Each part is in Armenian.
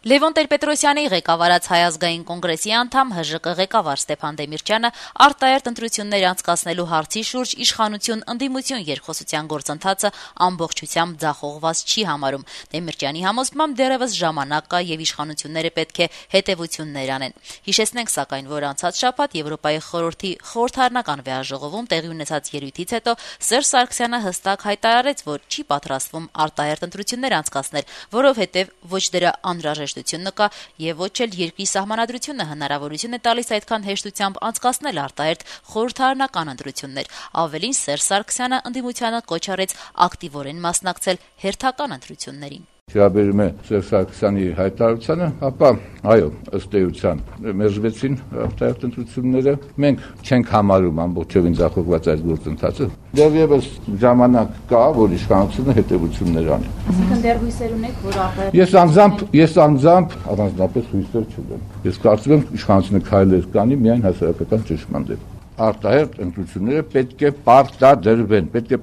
Լևոն Տեր-Պետրոսյանի ղեկավարած Հայ ազգային կոնգրեսի անդամ ՀԺԿ ղեկավար Ստեփան Դեմիրճյանը արտահերթ ընտրություններ անցկացնելու հարցի շուրջ իշխանություն-ընդդիմություն երկխոսության գործընթացը ամբողջությամբ ձախողված չի համարում։ Դեմիրճյանի համոզմամբ դեռևս ժամանակ կա եւ իշխանությունները պետք է հետեւություններ անեն։ Հիշեցնենք սակայն, որ անցած շաբաթ Եվրոպայի խորհրդի խորհրդարանական վեաժողովում տեղի ունեցած ելույթից հետո Սերժ Սարգսյանը հստակ հայտարարեց, որ չի պատրաստվում արտահերթ ընտրություններ անցկացնել, որովհետեւ ոչ դրա անհրաժեշտ կա եւ ոչ էլ երկրի սահմանադրությունը հնարավորություն է տալիս այդքան հեշտությամբ անցկացնել արտահերթ խորհրդարանական ընտրություններ։ Ավելին Սերժ Սարգսյանը ընդդիմությանը կոչ արեց ակտիվորեն մասնակցել հերթական ընտրություններին։ Վերաբերում է Սերժ Սարգսյանի հայտարարությանը, ապա այո, ըստ էության մերժվեցին արտահերթ ընտրությունները։ Մենք չենք համարում ամբողջովին ձախողված այս գործընթացը։ Դեռևս ժամանակ կա, որ իշխանությունը հետեւություններ անի։ Այսինքն դեռ հույսեր ունեք, որ արտահերթ։ Ես անձամբ առանձնապես հույսեր չունեմ։ Ես կարծում եմ իշխանությունը քայլեր կանի միայն հասարակական ճնշման դեմ։ Արտահերթ ընտրությունները պետք է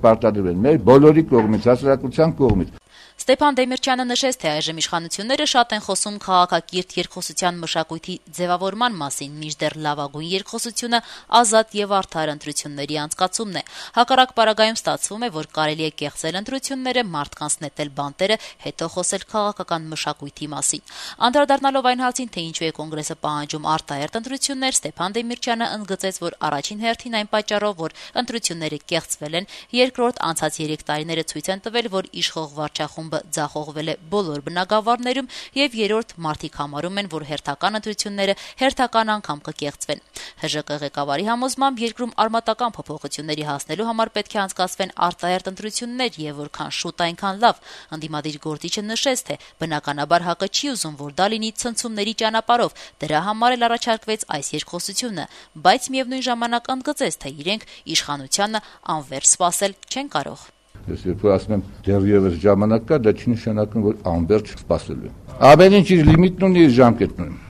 պարտադրվեն մեր բոլորի կողմից, հասարակության կողմից։ Ստեփան Դեմիրճյանը նշեց, թե այժմ իշխանությունները շատ են խոսում քաղաքակիրթ երկխոսության մշակույթի ձևավորման մասին, մինչդեռ լավագույն երկխոսությունը ազատ եւ արդար ընտրությունների անցկացումն է։ Հակառակ պարագայում ստացվում է, որ կարելի է կեղծել ընտրությունները, մարդկանց նետել բանտերը, հետո խոսել քաղաքական մշակույթի մասին։ Անդրադառնալով այն հարցին, թե ինչու է կոնգրեսը պահանջում արտահերթ ընտրություններ, Ստեփան Դեմիրճյանը ընդգծեց, որ առաջին հերթին այն պատճառով, որ ընտրությունները կեղծվել են, երկրորդ անցած 3 տարիները ցույց են տվել, որ իշխող վարչախումբը ձախողվել է բոլոր բնագավառներում եւ երրորդ մարդիկ համարում են, որ հերթական ընտրությունները հերթական անգամ կկեղծվեն։ ՀԺԿ ղեկավարի համոզմամբ երկրում արմատական փոփոխությունների հասնելու համար պետք է անցկացվեն արտահերթ ընտրություններ եւ որքան շուտ այնքան լավ։ Ընդդիմադիր գործիչը նշեց, թե բնականաբար ՀԱԿ-ը չի ուզում, որ դա լինի ցնցումների ճանապարհով։ Դրա համար էլ առաջարկվեց այս երկխոսությունը, բայց միևնույն ժամանակ ընդգծեց, թե իրենք իշխանությանը անվերջ սպասել չեն կարող։ Ես երբ ասում եմ դեռևս ժամանակ կա, դա չի նշանակում, որ անվերջ սպասելու է։ Ամեն ինչ իր լիմիտն ունի, իր ժամկետն ունի։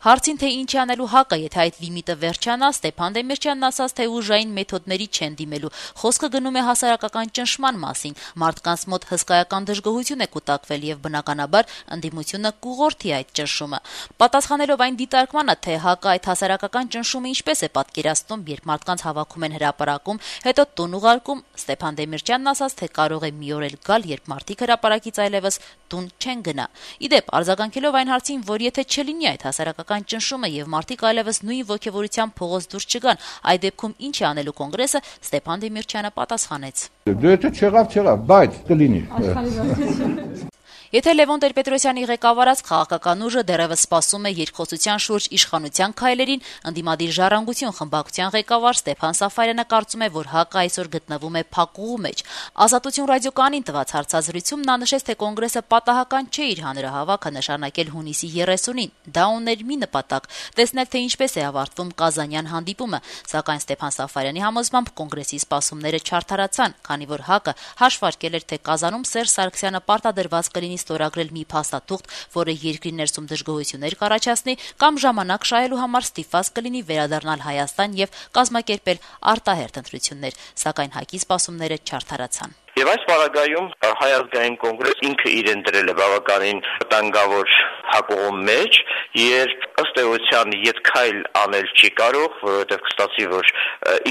Հարցին, թե ինչ անելու ՀԱԿ-ը, եթե այդ լիմիտը վերջանա, Ստեփան Դեմիրճյանն ասաց, թե ուժային մեթոդների չեն դիմելու։ Խոսքը գնում է հասարակական ճնշման մասին։ Մարդկանց մոտ հսկայական դժգոհություն է կուտակվել եւ բնականաբար ընդդիմությունը կուղղորդի այդ ճնշումը։ Պատասխանելով այն դիտարկմանը, թե ՀԱԿ-ը այդ հասարակական ճնշումը ինչպես է պատկերացնում, երբ մարդկանց հավաքում են հրապարակում, հետո տուն ուղարկում, Ստեփան Դեմիրճյանն ասաց, թե կարող է մի օր էլ գալ, երբ մարդիկ հրապարակից այլևս տուն չեն գնա։ Իդեպ, արձագանքելով այն հարցին, որ եթե չլինի այդ հասարակական ճնշումը եւ մարդիկ այլևս նույն ոգևորությամբ փողոց դուրս չգան, այդ դեպքում ինչ է անելու կոնգրեսը, Ստեփան Դեմիրճյանը պատասխանեց. Դե եթե չեղավ, բայց կլինի։ Եթե Լևոն Տեր-Պետրոսյանի ղեկավարած քաղաքական ուժը դեռևս սպասում է երկխոսության շուրջ իշխանության քայլերին, ընդդիմադիր ժառանգություն խմբակցության ղեկավար Ստեփան Սաֆարյանը կարծում է, որ ՀԱԿ-ը այսօր գտնվում է փակուղու մեջ։ Ազատություն ռադիոկայանին տված հարցազրույցում նա նշեց, թե կոնգրեսը պատահական չէ իր հանրահավաքը նշանակել հունիսի 30-ին։ Դա ուներ մի նպատակ՝ տեսնել, թե ինչպես է ավարտվում Կազանյան հանդիպումը, սակայն Ստեփան Սաֆարյանի համոզմամբ կոնգրեսի սպասումները չարդարացան, քանի որ ՀԱԿ-ը հաշվարկել էր, թե Կազանում Սերժ Սարգսյանը պարտադրված կլինի ստորագրել մի փաստաթուղթ, որը երկրի ներսում դժգոհություններ կառաջացնի, կամ ժամանակ շահելու համար ստիպված կլինի վերադառնալ Հայաստան եւ կազմակերպել արտահերթ ընտրություններ, սակայն ՀԱԿ-ի սպասումները չարդարացան։ Եվ այս պարագայում Հայ ազգային կոնգրես ինքը իրեն դրել է բավականին վտանգավոր հակողու մեջ, երբ ըստ էության ետքայլ անել չի կարող, որովհետև կստացի, որ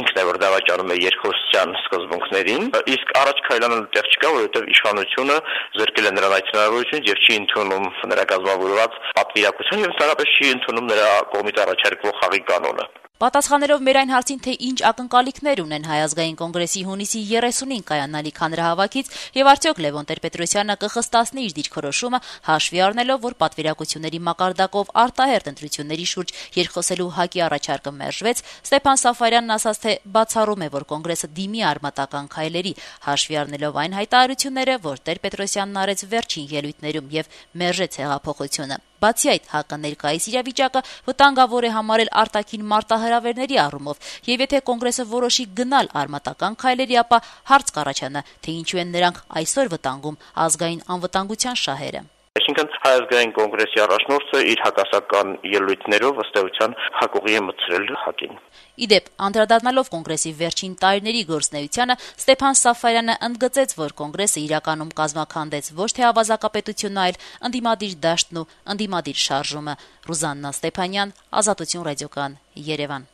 ինքն է որ դավաճանում է երկխոսության սկզբունքներին, իսկ առաջ քայլ անելու տեղ չկա, որովհետև իշխանությունը զրկել է նրան այդ հնարավորությունից եւ չի ընդունում նրա կազմավորված պատվիրակություն եւ ընդհանրապես չի ընդունում նրա կողմից առաջարկվող խաղի կանոնը։ Պատասխանելով մեր այն հարցին, թե ինչ ակնկալիքներ ունեն Հայ ազգային կոնգրեսի հունիսի 30-ին կայանալիք հանրահավաքից եւ արդյոք Լևոն Տեր-Պետրոսյանը կխստացնի իր դիրքորոշումը, հաշվի առնելով, որ պատվիրակությունների մակարդակով արտահերթ ընտրությունների շուրջ երկխոսելու ՀԱԿ-ի առաջարկը մերժվեց, Ստեփան Սաֆարյանն ասաց, թե բացառում է, որ կոնգրեսը դիմի արմատական քայլերի, հաշվի առնելով այն հայտարարությունները, որ Տեր-Պետրոսյանն արեց վերջին ելույթներում եւ մերժեց հեղափոխությունը։ Բացի այդ, ՀԱԿ-ը ներկայիս իրավիճակը վտանգավոր է համարել արտաքին մարտահրավերների առումով, եւ եթե կոնգրեսը որոշի գնալ արմատական քայլերի, ապա հարց կառաջանա, թե ինչու են նրանք այսօր վտանգում ազգային անվտանգության շահերը։ Այսինքն Հայ ազգային կոնգրեսի առաջնորդը իր հակասական ելույթներով ըստ էության հակուղի է մտցրել ՀԱԿ-ին։ Իդեպ, անդրադառնալով կոնգրեսի վերջին տարիների գործունեությանը, Ստեփան Սաֆարյանը ընդգծեց, որ կոնգրեսը իրականում կազմաքանդեց ոչ թե ավազակապետությունը, այլ ընդդիմադիր դաշտն ու ընդդիմադիր շարժումը։ Ռուզաննա Ստեփանյան, Ազատություն ռադիոկան, Երևան։